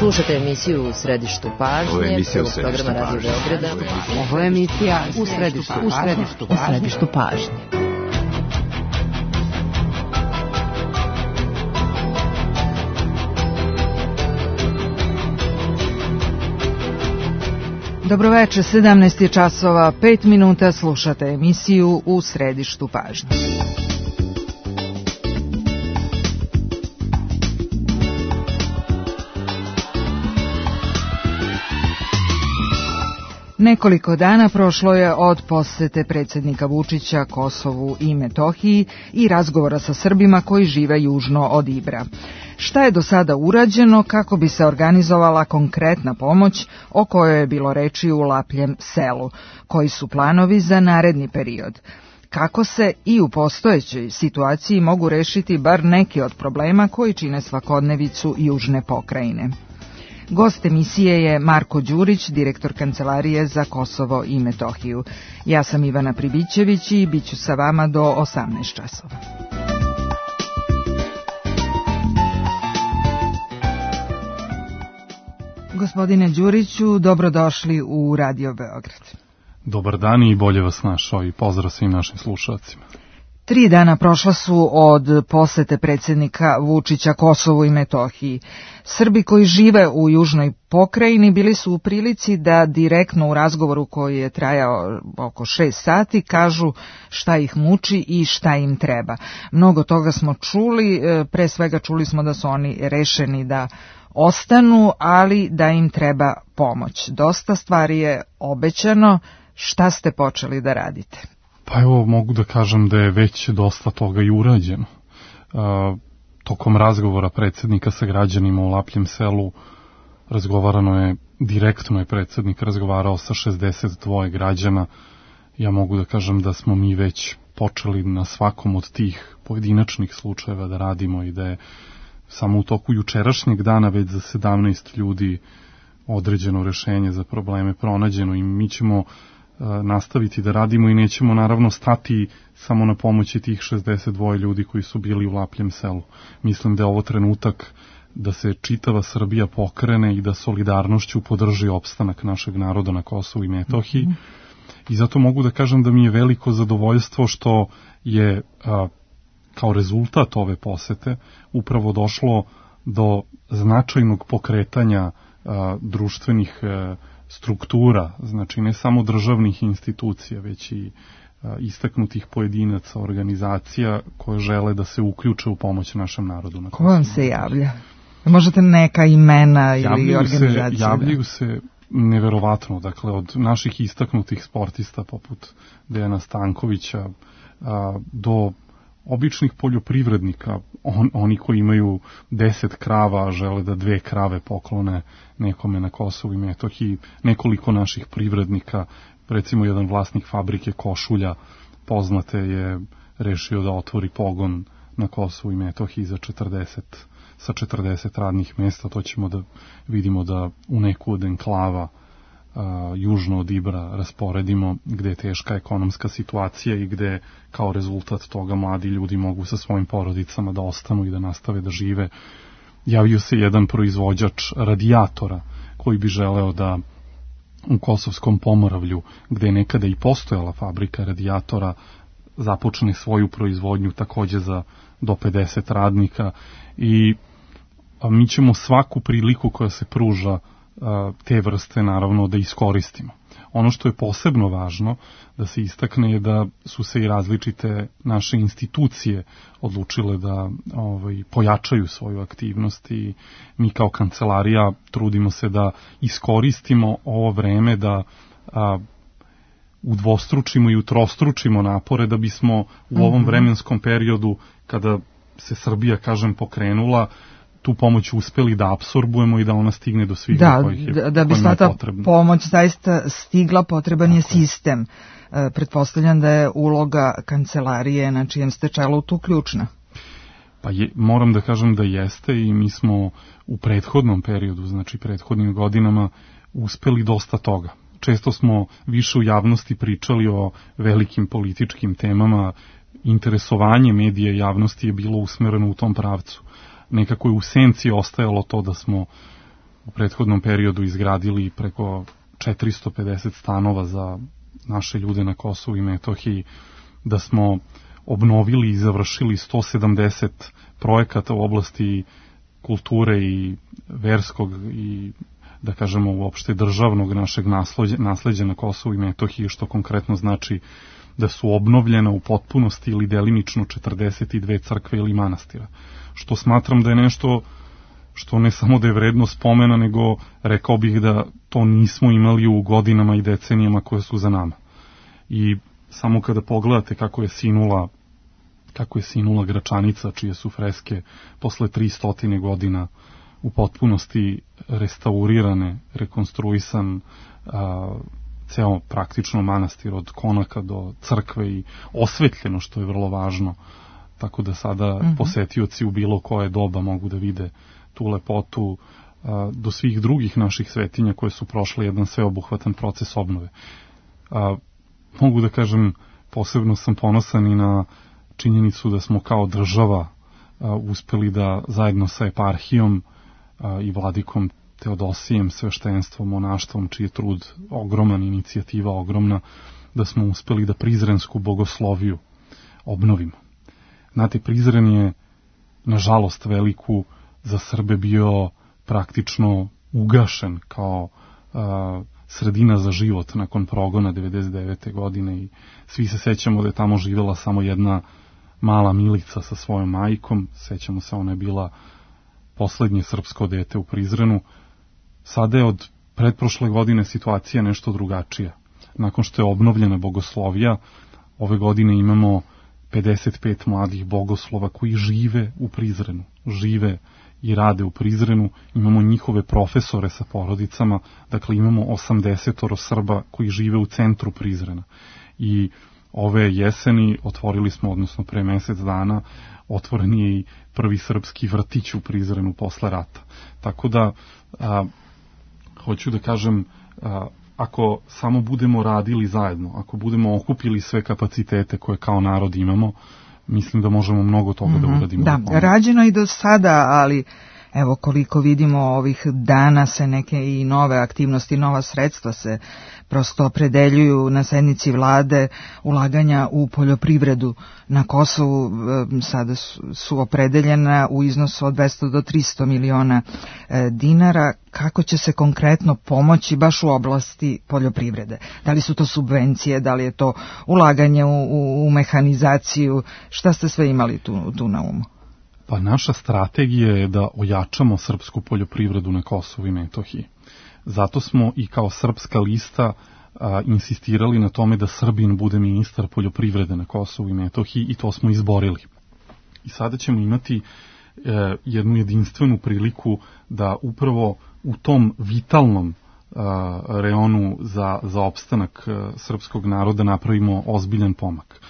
Slušate emisiju U središtu pažnje, prvog programa Radio Beograda. Ovo je emisija U središtu pažnje. Dobroveče, 17 je časova, 5 minuta, slušate emisiju U središtu pažnje. Nekoliko dana prošlo je od posete predsjednika Vučića Kosovu i Metohiji i razgovora sa Srbima koji žive južno od Ibra. Šta je do sada urađeno kako bi se organizovala konkretna pomoć o kojoj je bilo reči u Lapljem selu? Koji su planovi za naredni period? Kako se i u postojećoj situaciji mogu rešiti bar neki od problema koji čine svakodnevicu južne pokrajine? Gost emisije je Marko Đurić, direktor Kancelarije za Kosovo i Metohiju. Ja sam Ivana Pribićević i bit ću sa vama do 18 časova. Gospodine Đuriću, dobrodošli u Radio Beograd. Dobar dan i bolje vas našao i pozdrav svim našim slušalcima. 3 dana prošla su od posete predsjednika Vučića Kosovu i Metohiji. Srbi koji žive u južnoj pokrajini bili su u prilici da direktno u razgovoru koji je trajao oko 6 sati kažu šta ih muči i šta im treba. Mnogo toga smo čuli, pre svega čuli smo da su oni rešeni da ostanu, ali da im treba pomoć. Dosta stvari je obećano, šta ste počeli da radite? Pa evo, mogu da kažem da je već dosta toga i urađeno. Tokom razgovora predsjednika sa građanima u Lapljem selu direktno je predsjednik razgovarao sa 62 građana. Ja mogu da kažem da smo mi već počeli na svakom od tih pojedinačnih slučajeva da radimo i da je samo u toku jučerašnjeg dana već za 17 ljudi određeno rešenje za probleme pronađeno i mi ćemo nastaviti da radimo i nećemo naravno stati samo na pomoći tih 62 ljudi koji su bili u Lapljem selu. Mislim da je ovo trenutak da se čitava Srbija pokrene i da solidarnošću podrži opstanak našeg naroda na Kosovu i Metohiji. I zato mogu da kažem da mi je veliko zadovoljstvo što je kao rezultat ove posete upravo došlo do značajnog pokretanja društvenih struktura, znači ne samo državnih institucija, već i istaknutih pojedinaca, organizacija koje žele da se uključe u pomoć našem narodu. Ko vam se javlja? Možete neka imena ili organizacije? Javljaju se neverovatno, dakle od naših istaknutih sportista poput Dejana Stankovića do običnih poljoprivrednika, oni koji imaju 10 krava, žele da 2 krave poklone nekome na Kosovu i Metohiji, nekoliko naših privrednika, recimo jedan vlasnik fabrike košulja, poznate, je rešio da otvori pogon na Kosovu i Metohiji sa 40 radnih mjesta. To ćemo da vidimo da u neku od enklava južno od Ibra rasporedimo, gde je teška ekonomska situacija i gde kao rezultat toga mladi ljudi mogu sa svojim porodicama da ostanu i da nastave da žive. Javio se jedan proizvođač radijatora koji bi želeo da u Kosovskom Pomoravlju, gde je nekada i postojala fabrika radijatora, započne svoju proizvodnju takođe za do 50 radnika i mi ćemo svaku priliku koja se pruža te vrste naravno da iskoristimo. Ono što je posebno važno da se istakne je da su se i različite naše institucije odlučile da pojačaju svoju aktivnost i mi kao kancelarija trudimo se da iskoristimo ovo vreme da udvostručimo i utrostručimo napore da bismo u ovom vremenskom periodu kada se Srbija, kažem, pokrenula, tu pomoć uspeli da apsorbujemo i da ona stigne do svih kojih je da bi sva ta pomoć zaista stigla, potreban je sistem. Pretpostavljam da je uloga kancelarije na čijem ste čelu tu ključna. Pa moram da kažem da jeste i mi smo u prethodnom periodu, znači prethodnim godinama, uspeli dosta toga. Često smo više u javnosti pričali o velikim političkim temama, interesovanje medija i javnosti je bilo usmereno u tom pravcu. Nekako je u senci ostajalo to da smo u prethodnom periodu izgradili preko 450 stanova za naše ljude na Kosovu i Metohiji, da smo obnovili i završili 170 projekata u oblasti kulture i verskog i, da kažemo, uopšte državnog našeg nasleđa na Kosovu i Metohiji, što konkretno znači da su obnovljena u potpunosti ili delimično 42 crkve ili manastira. Što smatram da je nešto što ne samo da je vredno spomena, nego rekao bih da to nismo imali u godinama i decenijama koje su za nama. I samo kada pogledate kako je sinula Gračanica, čije su freske posle 300 godina u potpunosti restaurirane, rekonstruisan ceo praktično manastir od konaka do crkve i osvetljeno, što je vrlo važno, tako da sada posetioci u bilo koje doba mogu da vide tu lepotu, do svih drugih naših svetinja koje su prošle jedan sveobuhvatan proces obnove. Mogu da kažem, posebno sam ponosan i na činjenicu da smo kao država uspeli da zajedno sa eparhijom i vladikom Teodosijem, sveštenstvom, monaštvom, čiji je trud ogroman, inicijativa ogromna, da smo uspeli da Prizrensku bogosloviju obnovimo. Znate, Prizren je, nažalost veliku, za Srbe bio praktično ugašen kao sredina za život nakon progona 99. godine i svi se sećamo da je tamo živela samo jedna mala Milica sa svojom majkom, sećamo se, ona je bila poslednje srpsko dete u Prizrenu. Sada je od pretprošle godine situacija nešto drugačija. Nakon što je obnovljena bogoslovija, ove godine imamo 55 mladih bogoslova koji žive u Prizrenu, žive i rade u Prizrenu, imamo njihove profesore sa porodicama, dakle imamo 80 Srba koji žive u centru Prizrena. I ove jeseni otvorili smo, odnosno pre mesec dana, otvoren je i prvi srpski vrtić u Prizrenu posle rata. Tako da, hoću da kažem, ako samo budemo radili zajedno, ako budemo okupili sve kapacitete koje kao narod imamo, mislim da možemo mnogo toga da uradimo. Da, rađeno i do sada, ali evo koliko vidimo ovih dana se neke i nove aktivnosti, nova sredstva se prosto opredeljuju na sednici vlade, ulaganja u poljoprivredu na Kosovu sada su opredeljena u iznosu od 200 do 300 miliona dinara. Kako će se konkretno pomoći baš u oblasti poljoprivrede? Da li su to subvencije, da li je to ulaganje u mehanizaciju, šta ste sve imali tu na umu? Pa naša strategija je da ojačamo srpsku poljoprivredu na Kosovu i Metohiji. Zato smo i kao Srpska lista insistirali na tome da Srbin bude ministar poljoprivrede na Kosovu i Metohiji i to smo izborili. I sada ćemo imati jednu jedinstvenu priliku da upravo u tom vitalnom reonu za opstanak srpskog naroda napravimo ozbiljan pomak.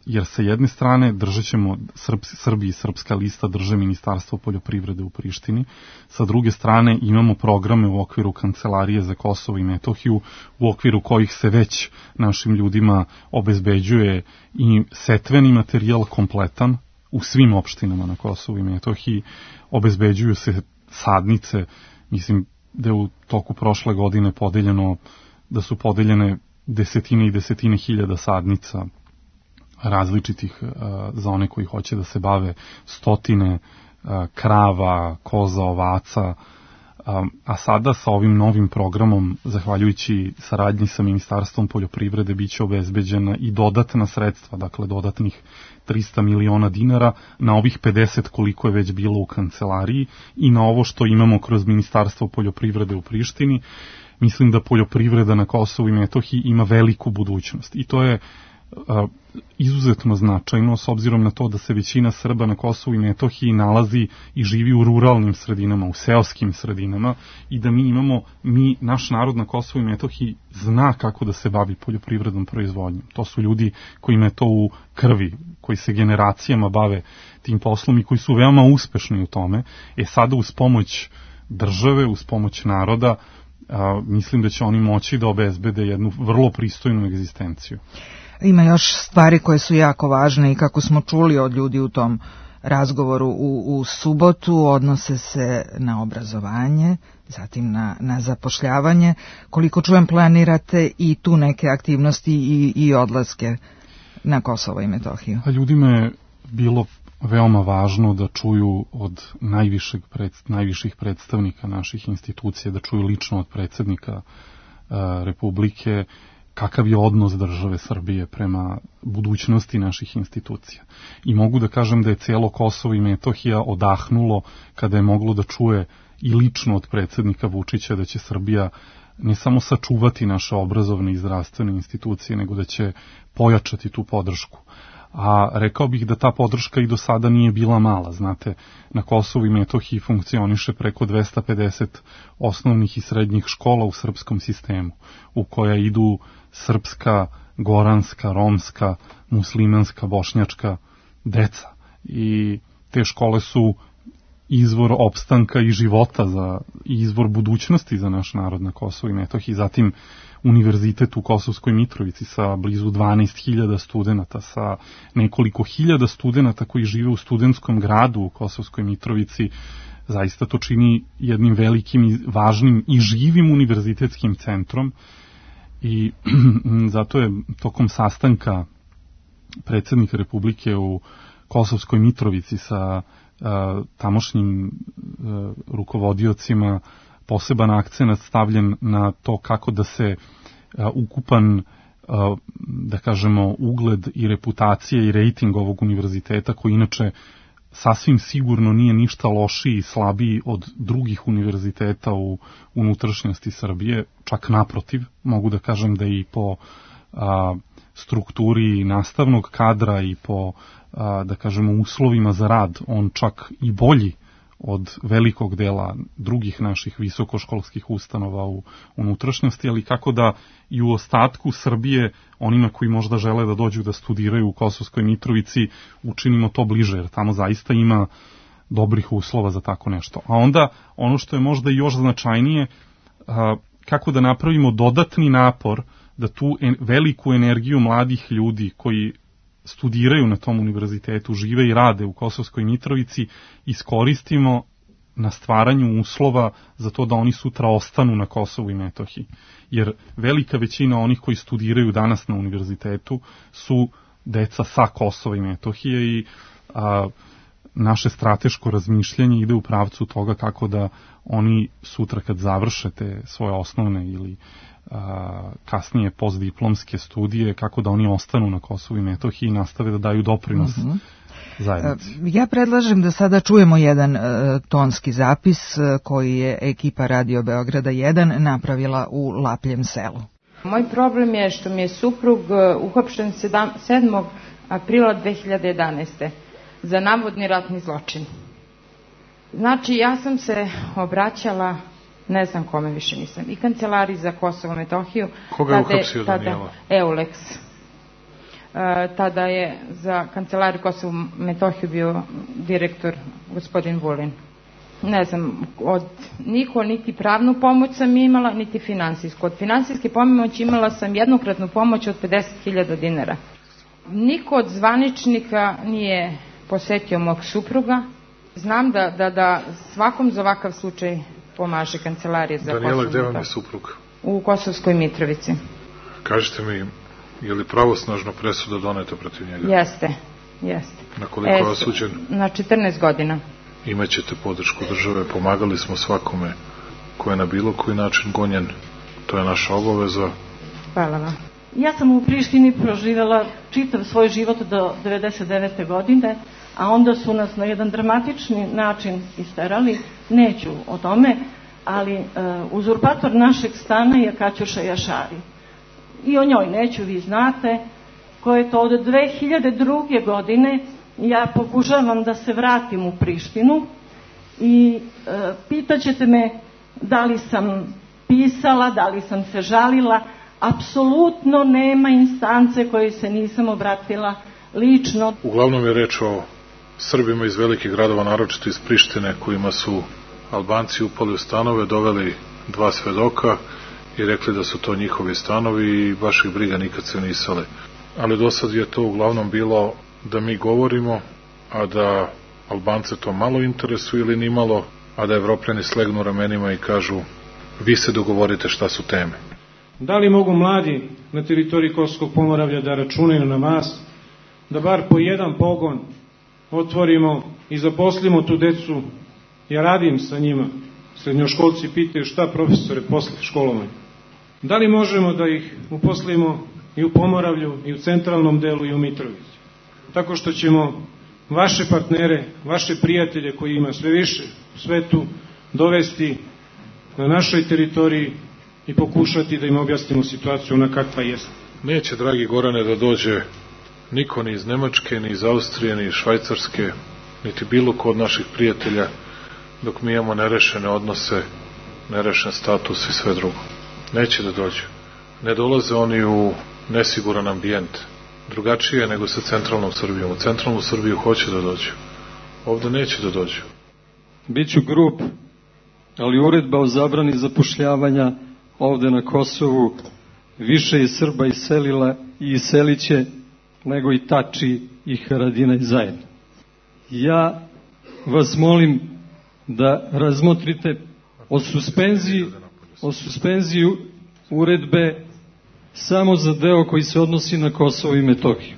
Jer sa jedne strane držat ćemo, Srbi i Srpska lista drže Ministarstvo poljoprivrede u Prištini, sa druge strane imamo programe u okviru Kancelarije za Kosovo i Metohiju, u okviru kojih se već našim ljudima obezbeđuje i setveni materijal kompletan u svim opštinama na Kosovu i Metohiji, obezbeđuju se sadnice, mislim da je u toku prošle godine da su podeljene desetine i desetine hiljada sadnica različitih za one koji hoće da se bave, stotine krava, koza, ovaca, a sada sa ovim novim programom, zahvaljujući saradnji sa Ministarstvom poljoprivrede, bit će obezbeđena i dodatna sredstva, dakle dodatnih 300 miliona dinara na ovih 50 koliko je već bilo u kancelariji i na ovo što imamo kroz Ministarstvo poljoprivrede u Prištini. Mislim da poljoprivreda na Kosovu i Metohiji ima veliku budućnost i to je izuzetno značajno s obzirom na to da se većina Srba na Kosovu i Metohiji nalazi i živi u ruralnim sredinama, u seoskim sredinama i da naš narod na Kosovu i Metohiji zna kako da se bavi poljoprivrednom proizvodnjom. To su ljudi koji imaju to u krvi, koji se generacijama bave tim poslom i koji su veoma uspešni u tome. Sada uz pomoć države, uz pomoć naroda, mislim da će oni moći da obezbede jednu vrlo pristojnu egzistenciju. Ima još stvari koje su jako važne i kako smo čuli od ljudi u tom razgovoru u subotu odnose se na obrazovanje, zatim na zapošljavanje. Koliko čujem, planirate i tu neke aktivnosti i odlaske na Kosovo i Metohiju. Ljudima je bilo veoma važno da čuju od najviših predstavnika naših institucija, da čuju lično od predsjednika Republike kakav je odnos države Srbije prema budućnosti naših institucija. I mogu da kažem da je cijelo Kosovo i Metohija odahnulo kada je moglo da čuje i lično od predsjednika Vučića da će Srbija ne samo sačuvati naše obrazovne i zdravstvene institucije, nego da će pojačati tu podršku. A rekao bih da ta podrška i do sada nije bila mala. Znate, na Kosovu i Metohiji funkcioniše preko 250 osnovnih i srednjih škola u srpskom sistemu, u koja idu srpska, goranska, romska, muslimanska, bošnjačka deca. I te škole su izvor opstanka i života i izvor budućnosti za naš narod na Kosovu i Metohiji. Zatim univerzitet u Kosovskoj Mitrovici sa blizu 12.000 studenta, sa nekoliko hiljada studenta koji žive u studentskom gradu u Kosovskoj Mitrovici. Zaista to čini jednim velikim i važnim i živim univerzitetskim centrom. I zato je tokom sastanka predsjednika Republike u Kosovskoj Mitrovici sa tamošnjim rukovodiocima poseban akcenat stavljen na to kako da se ukupan, da kažemo, ugled i reputacija i rejting ovog univerziteta, koji inače sasvim sigurno nije ništa lošiji i slabiji od drugih univerziteta u unutrašnjosti Srbije, čak naprotiv, mogu da kažem da i po strukturi nastavnog kadra i po, da kažemo, uslovima za rad, on čak i bolji od velikog dela drugih naših visokoškolskih ustanova u unutrašnjosti, ali kako da i u ostatku Srbije, onima koji možda žele da dođu da studiraju u Kosovskoj Mitrovici, učinimo to bliže, jer tamo zaista ima dobrih uslova za tako nešto. A onda, ono što je možda i još značajnije, kako da napravimo dodatni napor da tu veliku energiju mladih ljudi koji studiraju na tom univerzitetu, žive i rade u Kosovskoj Mitrovici, iskoristimo na stvaranju uslova za to da oni sutra ostanu na Kosovu i Metohiji. Jer velika većina onih koji studiraju danas na univerzitetu su deca sa Kosova i Metohije i naše strateško razmišljanje ide u pravcu toga kako da oni sutra kad završe te svoje osnovne ili kasnije postdiplomske studije, kako da oni ostanu na Kosovu i Metohiji i nastave da daju doprinos zajednici. Ja predlažem da sada čujemo jedan tonski zapis koji je ekipa Radio Beograda 1 napravila u Lapljem selu. Moj problem je što mi je suprug uhapšen 7. aprila 2011. za navodni ratni zločin. Znači, ja sam se obraćala, ne znam kome više nisam, i kancelariji za Kosovo i Metohiju. Koga je uhapsio Danijela? Eulex. Tada je za kancelariju Kosovo i Metohiju bio direktor gospodin Vulin. Ne znam, od niko niti pravnu pomoć sam imala, niti finansijsku. Od finansijske pomoći imala sam jednokratnu pomoć od 50.000 dinara. Niko od zvaničnika nije posetio mog supruga. Znam da svakom za ovakav slučaj pomaže kancelarija za Kosovo. Danijela, gde vam je suprug? U Kosovskoj Mitrovici. Kažite mi, je li pravosnažno presuda doneta protiv njega? Jeste. Na koliko je osuđen? Na 14 godina. Imaćete podršku države, pomagali smo svakome ko je na bilo koji način gonjen, to je naša obaveza. Hvala vam. Ja sam u Prištini proživjela čitav svoj život do 99. godine, a onda su nas na jedan dramatični način isterali, neću o tome, ali uzurpator našeg stana je Kaćuša Jašari. I o njoj neću, vi znate, koje je to od 2002. godine. Ja pokušavam da se vratim u Prištinu i pitaćete me da li sam pisala, da li sam se žalila. Apsolutno nema instance koje se nisam obratila lično. Uglavnom je reč o Srbima iz velikih gradova, naročito iz Prištine, kojima su Albanci upali u stanove, doveli 2 svedoka i rekli da su to njihovi stanovi i baš ih briga, nikad se nisale. Ali do sad je to uglavnom bilo da mi govorimo, a da Albance to malo interesuje ili ni malo, a da Evropljani slegnu ramenima i kažu vi se dogovorite šta su teme. Da li mogu mladi na teritoriji Kosovskog Pomoravlja da računaju na nas, da bar po jedan pogon otvorimo i zaposlimo tu decu? Ja radim sa njima. Srednjoškolci pitaju šta profesore posle školovanja. Da li možemo da ih uposlimo i u Pomoravlju, i u centralnom delu, i u Mitrovici? Tako što ćemo vaše partnere, vaše prijatelje koji ima sve više u svetu dovesti na našoj teritoriji i pokušati da im objasnimo situaciju ona kakva jeste. Neće, dragi Gorane, da dođe niko ni iz Nemačke, ni iz Austrije, ni iz Švajcarske, niti bilo ko od naših prijatelja, dok mi imamo nerešene odnose, nerešen status i sve drugo. Neće da dođu. Ne dolaze oni u nesiguran ambijent. Drugačije je nego sa centralnom Srbijom. U centralnu Srbiju hoće da dođu. Ovde neće da dođu. Biću grub, ali uredba o zabrani zapošljavanja ovde na Kosovu više je Srba iselila i iseliće nego i Tači i Haradinaj zajedno. Ja vas molim da razmotrite o suspenziji uredbe samo za deo koji se odnosi na Kosovo i Metohiju.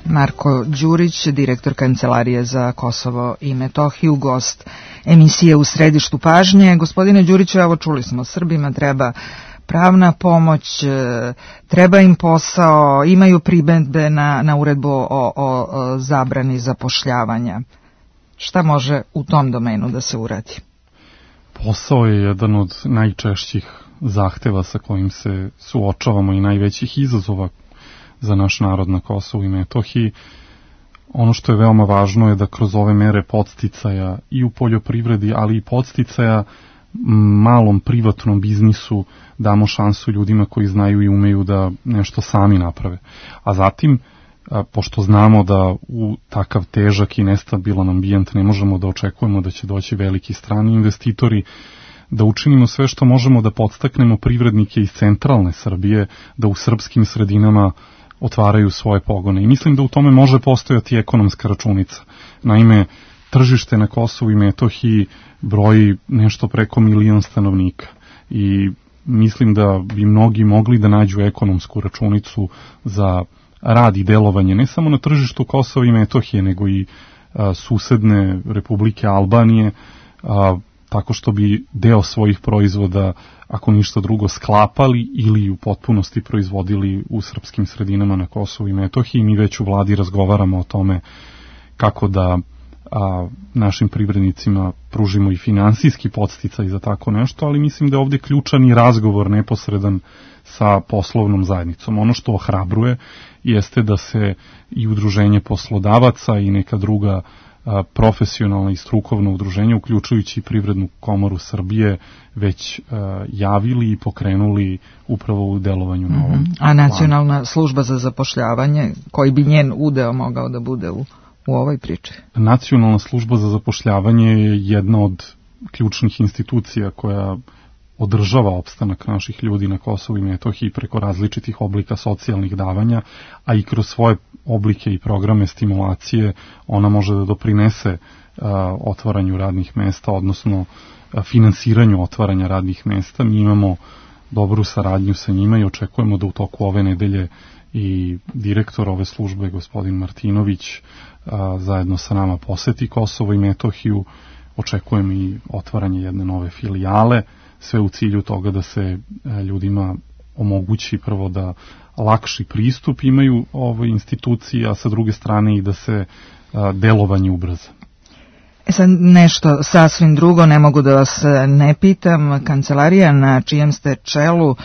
Marko Đurić, direktor Kancelarije za Kosovo i Metohiju, gost emisije U središtu pažnje. Gospodine Đuriću, evo čuli smo, Srbima treba pravna pomoć, treba im posao, imaju primedbe na uredbu o zabrani zapošljavanja. Šta može u tom domenu da se uradi? Posao je jedan od najčešćih zahteva sa kojim se suočavamo i najvećih izazova za naš narod na Kosovu i Metohiji. Ono što je veoma važno je da kroz ove mere podsticaja i u poljoprivredi, ali i podsticaja malom privatnom biznisu damo šansu ljudima koji znaju i umeju da nešto sami naprave. A zatim, pošto znamo da u takav težak i nestabilan ambijent ne možemo da očekujemo da će doći veliki strani investitori, da učinimo sve što možemo da podstaknemo privrednike iz centralne Srbije da u srpskim sredinama otvaraju svoje pogone. I mislim da u tome može postojati ekonomska računica. Naime, tržište na Kosovu i Metohiji broji nešto preko 1 milion stanovnika i mislim da bi mnogi mogli da nađu ekonomsku računicu za rad i delovanje ne samo na tržištu Kosova i Metohije, nego i susedne Republike Albanije, tako što bi deo svojih proizvoda, ako ništa drugo, sklapali ili u potpunosti proizvodili u srpskim sredinama na Kosovu i Metohiji. Mi već u vladi razgovaramo o tome kako da našim privrednicima pružimo i finansijski podsticaj za tako nešto, ali mislim da je ovde ključan i razgovor neposredan sa poslovnom zajednicom. Ono što ohrabruje jeste da se i udruženje poslodavaca i neka druga profesionalna i strukovna udruženja, uključujući Privrednu komoru Srbije, već javili i pokrenuli upravo u delovanju na ovom planu. A Nacionalna služba za zapošljavanje, koji bi njen udeo mogao da bude u ovoj priči? Nacionalna služba za zapošljavanje je jedna od ključnih institucija koja održava opstanak naših ljudi na Kosovu i Metohiji preko različitih oblika socijalnih davanja, a i kroz svoje oblike i programe stimulacije ona može da doprinese otvaranju radnih mesta, odnosno finansiranju otvaranja radnih mesta. Mi imamo dobru saradnju sa njima i očekujemo da u toku ove nedelje i direktor ove službe, gospodin Martinović, zajedno sa nama poseti Kosovo i Metohiju. Očekujem i otvaranje jedne nove filijale, sve u cilju toga da se ljudima omogući prvo da lakši pristup imaju ovoj instituciji, a sa druge strane i da se delovanje ubrza. Sad nešto sasvim drugo, ne mogu da vas ne pitam. Kancelarija na čijem ste čelu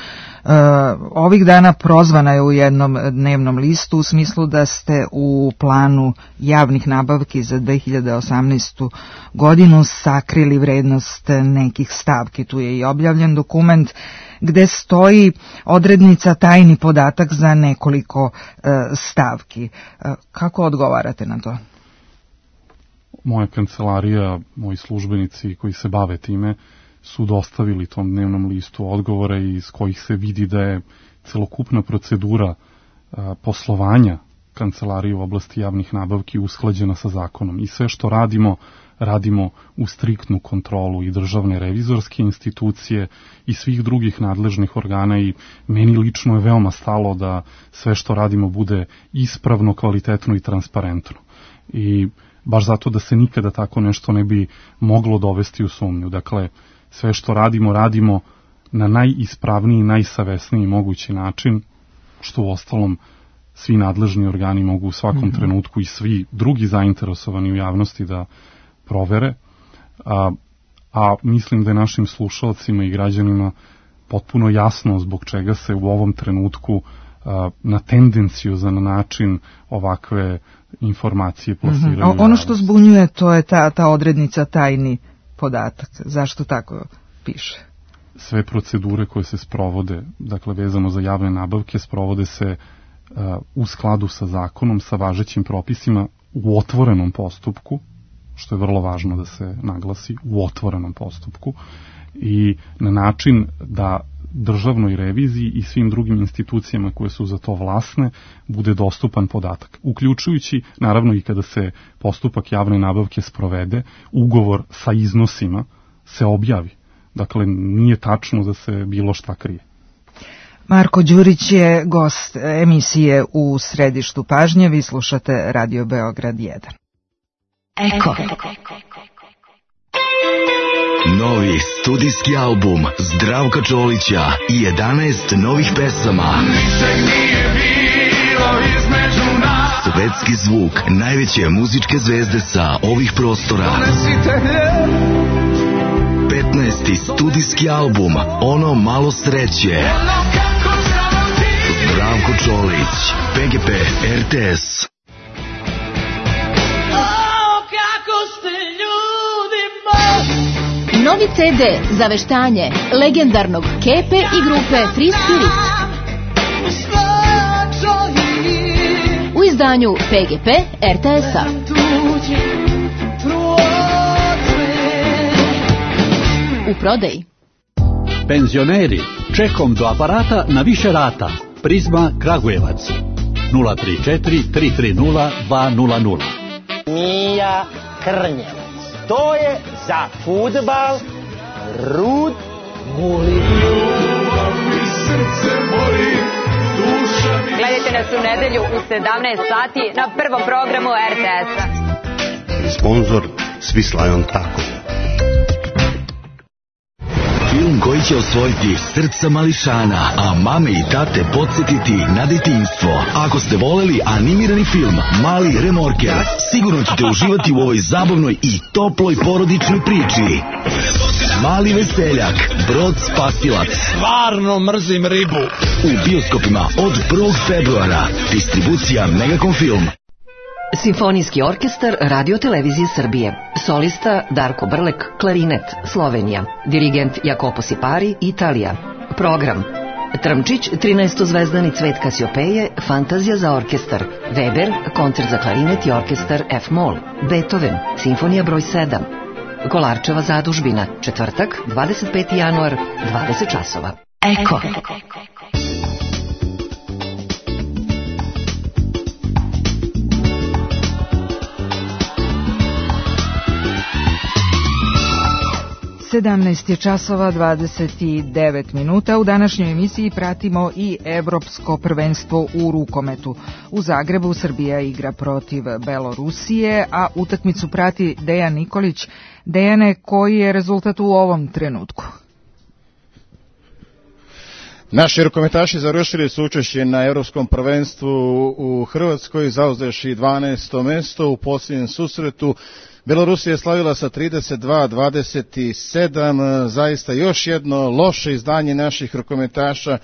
ovih dana prozvana je u jednom dnevnom listu u smislu da ste u planu javnih nabavki za 2018. godinu sakrili vrednost nekih stavki. Tu je i objavljen dokument gde stoji odrednica tajni podatak za nekoliko stavki. Kako odgovarate na to? Moja kancelarija, moji službenici koji se bave time su dostavili tom dnevnom listu odgovore iz kojih se vidi da je celokupna procedura poslovanja kancelarije u oblasti javnih nabavki usklađena sa zakonom i sve što radimo u striktnu kontrolu i državne revizorske institucije i svih drugih nadležnih organa i meni lično je veoma stalo da sve što radimo bude ispravno, kvalitetno i transparentno. I baš zato da se nikada tako nešto ne bi moglo dovesti u sumnju. Dakle, sve što radimo na najispravniji, najsavesniji mogući način, što u ostalom svi nadležni organi mogu u svakom trenutku i svi drugi zainteresovani u javnosti da provere, a mislim da je našim slušalcima i građanima potpuno jasno zbog čega se u ovom trenutku na tendenciozan način ovakve informacije plasiraju. Ono što zbunjuje, to je ta odrednica tajni podatak. Zašto tako piše? Sve procedure koje se sprovode, dakle vezano za javne nabavke, sprovode se u skladu sa zakonom, sa važećim propisima u otvorenom postupku, što je vrlo važno da se naglasi, u otvorenom postupku i na način da državnoj reviziji i svim drugim institucijama koje su za to vlasne bude dostupan podatak. Uključujući, naravno i kada se postupak javne nabavke sprovede, ugovor sa iznosima se objavi. Dakle, nije tačno da se bilo šta krije. Marko Đurić je gost emisije U središtu pažnje. Vi slušate Radio Beograd 1. Eko. Novi studijski album Zdravka Čolića i 11 novih pesama. Svetski zvuk najveće muzičke zvezde sa ovih prostora. 15. studijski album Ono malo sreće. Zdravko Čolić, PGP RTS. Novi CD za veštanje legendarnog Kepe i grupe Free Spirit. U izdanju PGP RTS-a. U prodaji. Penzioneri, čekom do aparata na više rata. Prizma Kragujevac 034 330 200. Mija Krnjevac. To je za fudbal Rud Guli. Gledajte nas u nedelju u 17 sati na prvom programu RTS-a. Sponzor Svislajon Tako. Film koji će osvojiti srca mališana, a mame i tate podsjetiti na detinjstvo. Ako ste voleli animirani film Mali remorker, sigurno ćete uživati u ovoj zabavnoj i toploj porodičnoj priči. Mali veseljak, Brod spasilac. Stvarno mrzim ribu. U bioskopima od 1. februara. Distribucija Megacom Film. Simfonijski orkestar Radio Televizije Srbije. Solista Darko Brlek, klarinet, Slovenija. Dirigent Jacopo Sipari, Italija. Program: Trmčić, 13-zvezdani Cvet Kasiopeje, Fantazija za orkestar. Weber, koncert za klarinet i orkestar F-Moll. Beethoven, Simfonija broj 7. Kolarčeva zadužbina, četvrtak, 25. januar, 20 časova. Eko. 17 je časova 29 minuta. U današnjoj emisiji pratimo i Evropsko prvenstvo u rukometu. U Zagrebu Srbija igra protiv Belorusije, a utakmicu prati Dejan Nikolić. Dejane, koji je rezultat u ovom trenutku? Naši rukometaši završili su učešće na Evropskom prvenstvu u Hrvatskoj, zauzevši 12. mesto u posljednjem susretu. Belorusija je slavila sa 32-27, zaista još jedno loše izdanje naših rukometaša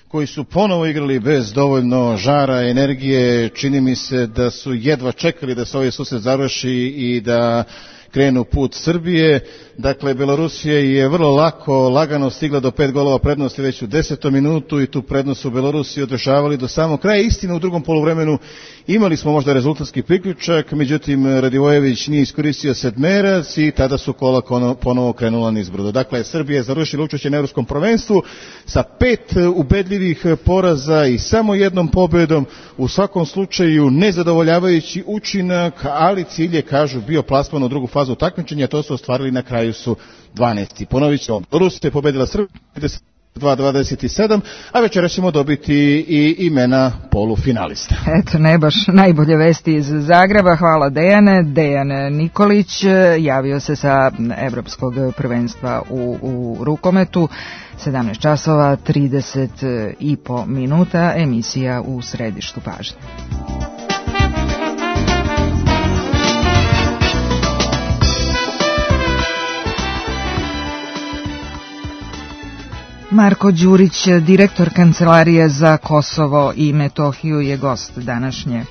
koji su ponovo igrali bez dovoljno žara, energije. Čini mi se da su jedva čekali da se ovaj susret završi i da krenu put Srbije. Dakle, Belorusija je vrlo lagano stigla do 5 golova prednosti već u 10. minutu i tu prednost su Belorusiji održavali do samog kraja. Istina, u drugom poluvremenu imali smo možda rezultatski priključak, međutim Radivojević nije iskoristio sedmerac i tada su kola ponovo krenula nizbrdo. Dakle, Srbija je završila učešće na Evropskom prvenstvu sa 5 ubedljivih poraza i samo jednom pobedom, u svakom slučaju nezadovoljavajući učinak, ali cilj je, kažu, bio plasman u drugu fazu takmičenja, to su ostvarili, na kraju su 12. Ponovit ćemo, Rusija je pobedila Srbiju 2:27, a večera ćemo dobiti i imena polufinalista. Eto, ne baš najbolje vesti iz Zagreba. Hvala Dejane. Dejan Nikolić javio se sa Evropskog prvenstva u rukometu. 17 časova, 30,5 minuta, emisija u središtu pažnje. Marko Đurić, direktor Kancelarije za Kosovo i Metohiju, je gost današnje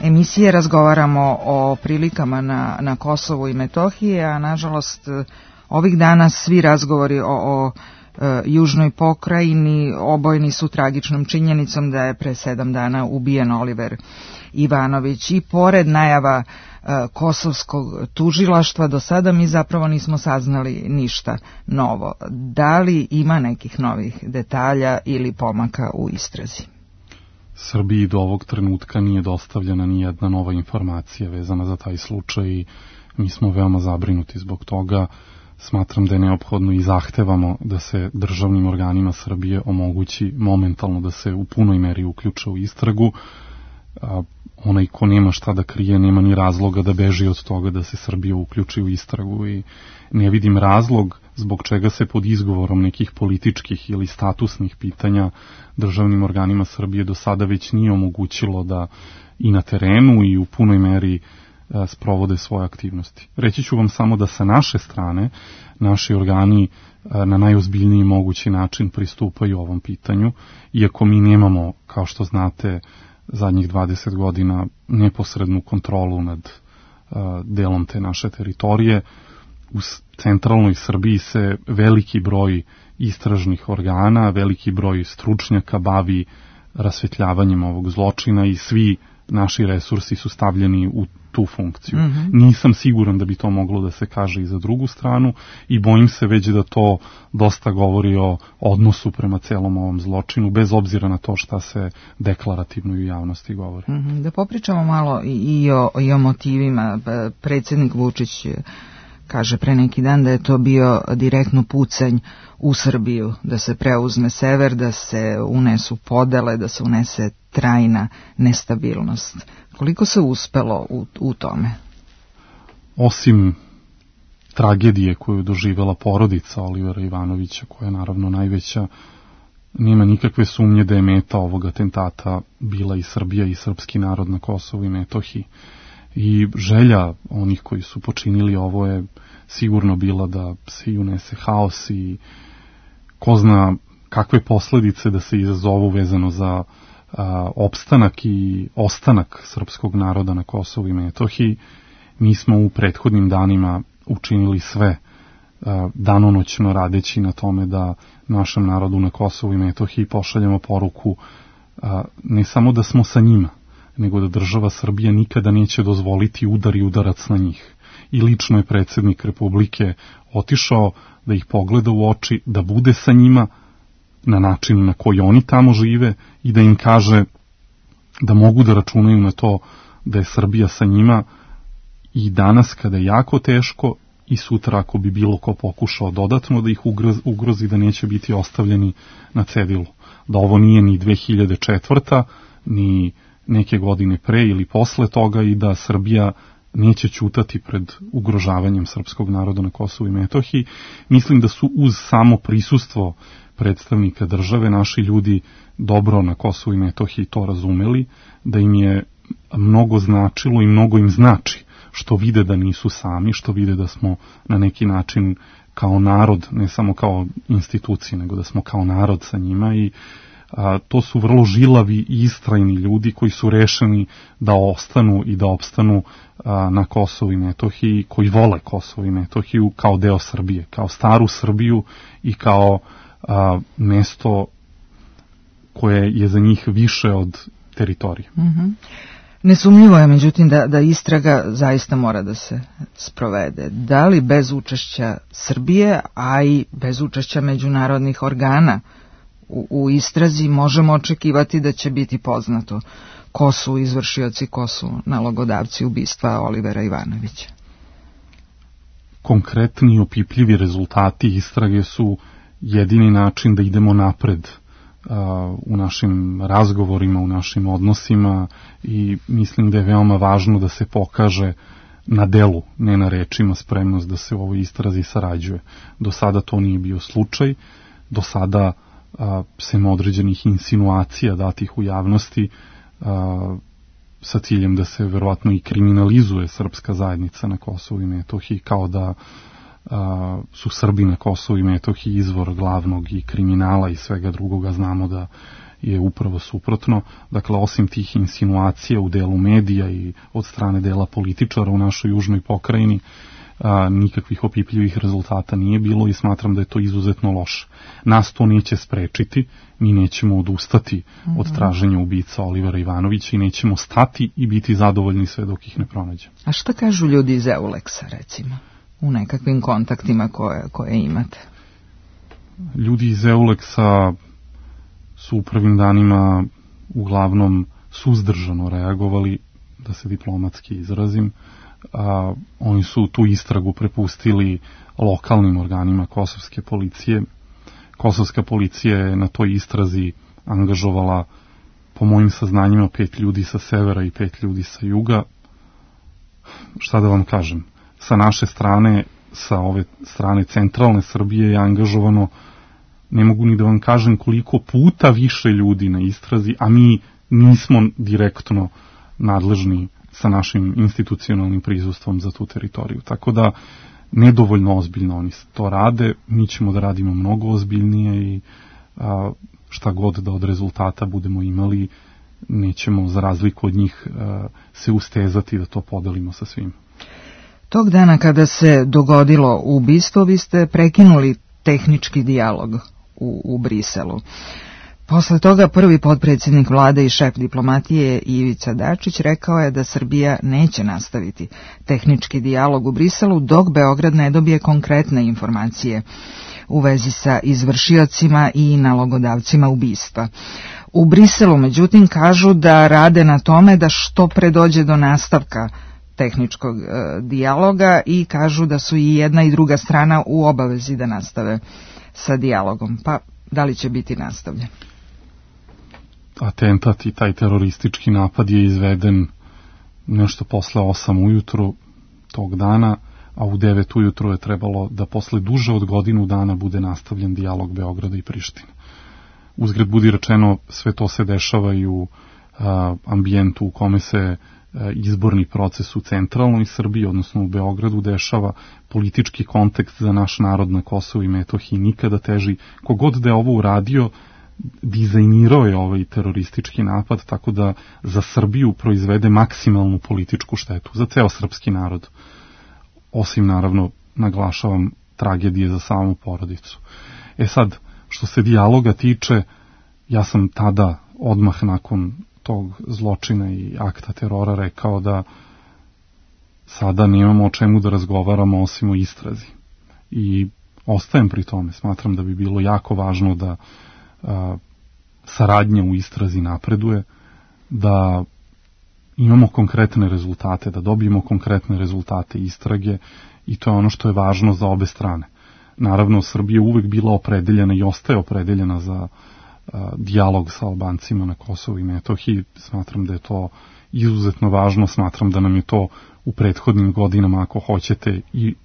emisije. Razgovaramo o prilikama na Kosovu i Metohiji, a nažalost ovih dana svi razgovori o južnoj pokrajini obojeni su tragičnom činjenicom da je pre 7 dana ubijen Oliver Ivanović. I pored najava kosovskog tužilaštva, do sada mi zapravo nismo saznali ništa novo. Da li ima nekih novih detalja ili pomaka u istrazi? Srbiji do ovog trenutka nije dostavljena ni jedna nova informacija vezana za taj slučaj i mi smo veoma zabrinuti zbog toga. Smatram da je neophodno i zahtevamo da se državnim organima Srbije omogući momentalno da se u punoj meri uključe u istragu. Onaj ko nema šta da krije, nema ni razloga da beži od toga da se Srbija uključi u istragu i ne vidim razlog zbog čega se pod izgovorom nekih političkih ili statusnih pitanja državnim organima Srbije do sada već nije omogućilo da i na terenu i u punoj meri sprovode svoje aktivnosti. Reći ću vam samo da sa naše strane naši organi na najozbiljniji mogući način pristupaju ovom pitanju, iako mi nemamo, kao što znate, zadnjih 20 godina neposrednu kontrolu nad delom te naše teritorije. U centralnoj Srbiji se veliki broj istražnih organa, veliki broj stručnjaka bavi rasvetljavanjem ovog zločina i svi naši resursi su stavljeni u tu funkciju. Nisam siguran da bi to moglo da se kaže i za drugu stranu i bojim se već da to dosta govori o odnosu prema celom ovom zločinu, bez obzira na to šta se deklarativno i u javnosti govori. Da popričamo malo i o motivima. Predsjednik Vučić kaže pre neki dan da je to bio direktno pucanj u Srbiju, da se preuzme sever, da se unesu podele, da se unese trajna nestabilnost. Koliko se uspelo u tome? Osim tragedije koju doživjela porodica Olivera Ivanovića, koja je naravno najveća, nema nikakve sumnje da je meta ovog atentata bila i Srbija i srpski narod na Kosovu i Metohiji. I želja onih koji su počinili ovo je sigurno bila da se unese haos i ko zna kakve posledice da se izazovu vezano za opstanak i ostanak srpskog naroda na Kosovu i Metohiji. Mi smo u prethodnim danima učinili sve danonoćno radeći na tome da našem narodu na Kosovu i Metohiji pošaljemo poruku ne samo da smo sa njima, nego da država Srbija nikada neće dozvoliti udar i udarac na njih. I lično je predsjednik Republike otišao da ih pogleda u oči, da bude sa njima na način na koji oni tamo žive i da im kaže da mogu da računaju na to da je Srbija sa njima i danas kada je jako teško i sutra ako bi bilo ko pokušao dodatno da ih ugrozi, da neće biti ostavljeni na cedilu. Da ovo nije ni 2004. ni neke godine pre ili posle toga i da Srbija neće ćutati pred ugrožavanjem srpskog naroda na Kosovu i Metohiji. Mislim da su uz samo prisustvo predstavnika države naši ljudi dobro na Kosovu i Metohiji to razumeli, da im je mnogo značilo i mnogo im znači što vide da nisu sami, što vide da smo na neki način kao narod, ne samo kao institucije, nego da smo kao narod sa njima i To su vrlo žilavi i istrajni ljudi koji su rešeni da ostanu i da opstanu na Kosovu i Metohiji, koji vole Kosovo i Metohiju kao deo Srbije, kao staru Srbiju i kao mesto koje je za njih više od teritorije. Nesumnjivo je, međutim, da istraga zaista mora da se sprovede. Da li bez učešća Srbije, a i bez učešća međunarodnih organa u istrazi možemo očekivati da će biti poznato ko su izvršioci, ko su nalogodavci ubistva Olivera Ivanovića? Konkretni i opipljivi rezultati istrage su jedini način da idemo napred u našim razgovorima, u našim odnosima, i mislim da je veoma važno da se pokaže na delu, ne na rečima, spremnost da se u ovoj istrazi sarađuje. Do sada to nije bio slučaj, do sada sem određenih insinuacija datih u javnosti sa ciljem da se verovatno i kriminalizuje srpska zajednica na Kosovu i Metohiji, kao da su Srbi na Kosovu i Metohiji izvor glavnog i kriminala i svega drugoga. Znamo da je upravo suprotno. Dakle, osim tih insinuacija u delu medija i od strane dela političara u našoj južnoj pokrajini, nikakvih opipljivih rezultata nije bilo i smatram da je to izuzetno loše. Nas to neće sprečiti, mi nećemo odustati od traženja ubica Olivera Ivanovića i nećemo stati i biti zadovoljni sve dok ih ne pronađemo. A šta kažu ljudi iz Euleksa, recimo, u nekakvim kontaktima koje imate? Ljudi iz Euleksa su u prvim danima uglavnom suzdržano reagovali, da se diplomatski izrazim. Oni su tu istragu prepustili lokalnim organima kosovske policije. Kosovska policija je na toj istrazi angažovala, po mojim saznanjima, 5 ljudi sa severa i 5 ljudi sa juga. Šta da vam kažem, sa naše strane, sa ove strane centralne Srbije je angažovano, ne mogu ni da vam kažem koliko puta više ljudi na istrazi, a mi nismo direktno nadležni sa našim institucionalnim prisustvom za tu teritoriju. Tako da nedovoljno ozbiljno oni to rade, mi ćemo da radimo mnogo ozbiljnije i šta god da od rezultata budemo imali, nećemo za razliku od njih se ustezati da to podelimo sa svim. Tog dana kada se dogodilo ubistvo, vi ste prekinuli tehnički dijalog u Briselu. Posle toga prvi potpredsjednik vlade i šef diplomatije Ivica Dačić rekao je da Srbija neće nastaviti tehnički dijalog u Briselu dok Beograd ne dobije konkretne informacije u vezi sa izvršiocima i nalogodavcima ubistva. U Briselu, međutim, kažu da rade na tome da što pre dođe do nastavka tehničkog dijaloga i kažu da su i jedna i druga strana u obavezi da nastave sa dijalogom. Pa da li će biti nastavljen? Atentat i taj teroristički napad je izveden nešto posle 8 ujutru tog dana, a u 9 ujutru je trebalo da posle duže od godinu dana bude nastavljen dijalog Beograda i Prištine. Uzgred budi rečeno, sve to se dešava i u ambijentu u kome se izborni proces u centralnoj Srbiji, odnosno u Beogradu, dešava. Politički kontekst za naš narod na Kosovu i Metohiji nikada teži. Kogod da je ovo uradio, dizajnirao je ovaj teroristički napad, tako da za Srbiju proizvede maksimalnu političku štetu, za ceo srpski narod. Osim, naravno, naglašavam, tragedije za samu porodicu. Sad, što se dijaloga tiče, ja sam tada, odmah nakon tog zločina i akta terora, rekao da sada nemamo o čemu da razgovaramo osim o istrazi. I ostajem pri tome. Smatram da bi bilo jako važno da saradnja u istrazi napreduje, da imamo konkretne rezultate, da dobijemo konkretne rezultate istrage, i to je ono što je važno za obe strane. Naravno, Srbija je uvek bila opredeljena i ostaje opredeljena za dijalog sa Albancima na Kosovu i Metohiji. Smatram da je to izuzetno važno, smatram da nam je to u prethodnim godinama, ako hoćete, i